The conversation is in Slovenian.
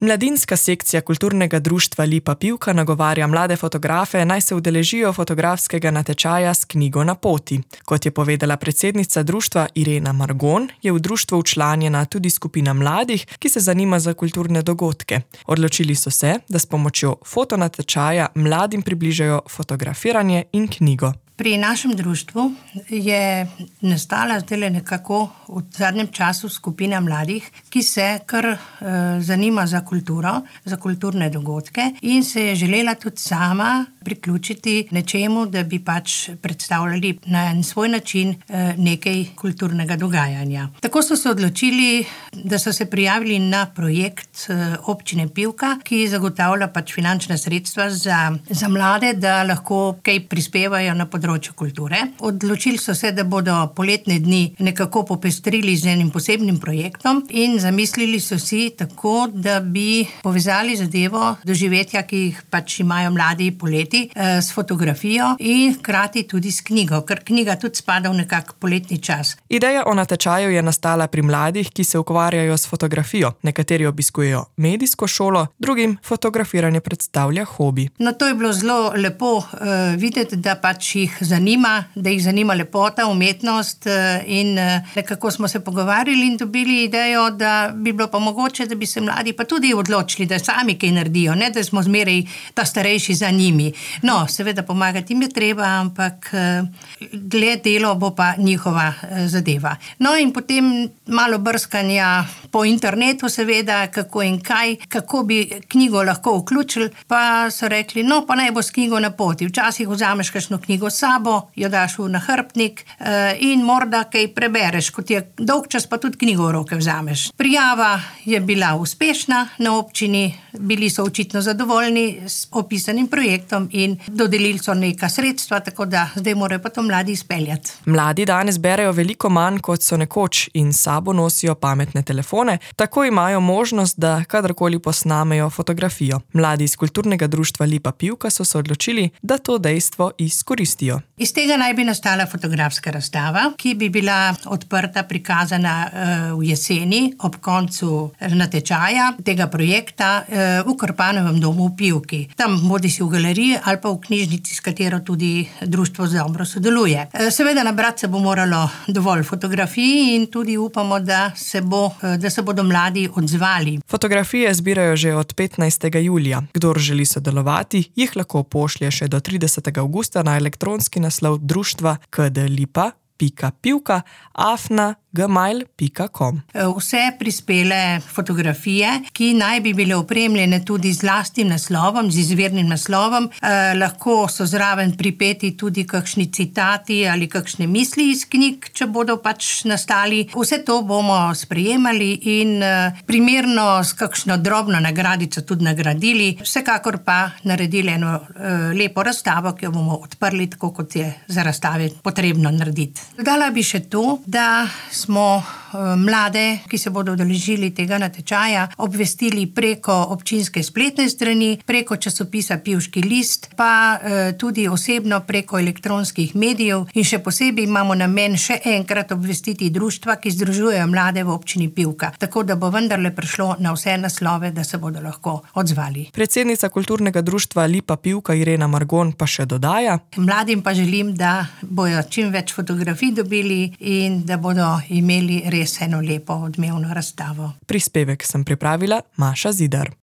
Mladinska sekcija kulturnega društva Lipa Pivka nagovarja mlade fotografe, naj se udeležijo fotografskega natečaja s knjigo na poti. Kot je povedala predsednica društva Irena Margon, je v društvu včlanjena tudi skupina mladih, ki se zanima za kulturne dogodke. Odločili so se, da s pomočjo fotonatečaja mladim približajo fotografiranje in knjigo. Pri našem društvu je nastala zdaj nekako v zadnjem času skupina mladih, ki se kar zanima za kulturo, za kulturne dogodke in se je želela tudi sama priključiti nečemu, da bi pač predstavljali na en svoj način nekaj kulturnega dogajanja. Tako so se odločili, da so se prijavili na projekt občine Pivka, ki zagotavlja pač finančna sredstva za mlade, da lahko kaj prispevajo na področju kulture. Odločili so se, da bodo poletne dni nekako popestrili z enim posebnim projektom in zamislili so si tako, da bi povezali zadevo doživetja, ki jih pač imajo mladi poleti, s fotografijo in hkrati tudi s knjigo, ker knjiga tudi spada v nekak poletni čas. Ideja o natečaju je nastala pri mladih, ki se ukvarjajo s fotografijo. Nekateri obiskujejo medijsko šolo, drugim fotografiranje predstavlja hobi. No, to je bilo zelo lepo videti, da pač jih zanima, da jih zanima lepota, umetnost in nekako smo se pogovarjali in dobili idejo, da bi bilo pa mogoče, da bi se mladi pa tudi odločili, da sami kaj naredijo, ne da smo zmeraj ta starejši za njimi. No, seveda pomagati jim je treba, ampak delo bo pa njihova zadeva. No in potem malo brskanja po internetu seveda, kako in kaj, kako bi knjigo lahko vključili, pa so rekli, no pa naj bo s knjigo na poti. Včasih vzameš kakšno knjigo s sabo, jo daš v nahrbtnik in morda kaj prebereš, kot je dolg čas, pa tudi knjigo v roke vzameš. Prijava je bila uspešna na občini, bili so očitno zadovoljni s opisanim projektom in dodelili so neka sredstva, tako da zdaj morajo pa to mladi izpeljati. Mladi danes berejo veliko manj, kot so nekoč in s sabo nosijo pametne telefone, tako imajo možnost, da kadarkoli posnamejo fotografijo. Mladi iz kulturnega društva Lipa Pivka so se odločili, da to dejstvo izkoristijo. Iz tega naj bi nastala fotografska razstava, ki bi bila odprta, prikazana v jeseni ob koncu natečaja tega projekta v Krpanovem domu v Pivki. Tam bodisi v galeriji ali pa v knjižnici, s katero tudi društvo dobro sodeluje. Seveda nabrati se bo moralo dovolj fotografij in tudi upamo, da se bodo mladi odzvali. Fotografije zbirajo že od 15. julija. Kdor želi sodelovati, jih lahko pošlje še do 30. avgusta na elektronski naslov društva kdlipa.pivka@gmail.com. Vse prispele fotografije, ki naj bi bile opremljene tudi z lastnim naslovom, z izvirnim naslovom, lahko so zraven pripeti tudi kakšni citati ali kakšne misli iz knjig, če bodo pač nastali. Vse to bomo sprejemali in primerno s kakšno drobno nagradico tudi nagradili. Vsekakor pa naredili eno lepo razstavo, ki jo bomo odprli tako, kot je za razstave potrebno narediti. Dodala bi še to, da smo mlade, ki se bodo udeležili tega natečaja, obvestili preko občinske spletne strani, preko časopisa Pivški list, pa tudi osebno preko elektronskih medijev in še posebej imamo namen še enkrat obvestiti društva, ki združujejo mlade v občini Pivka, tako da bo vendarle prišlo na vse naslove, da se bodo lahko odzvali. Predsednica kulturnega društva Lipa Pivka Irena Margon pa še dodaja: Mladim pa želim, da bojo čim več fotografij dobili in da bodo imeli res eno lepo odmevno razstavo. Prispevek sem pripravila Maša Zidar.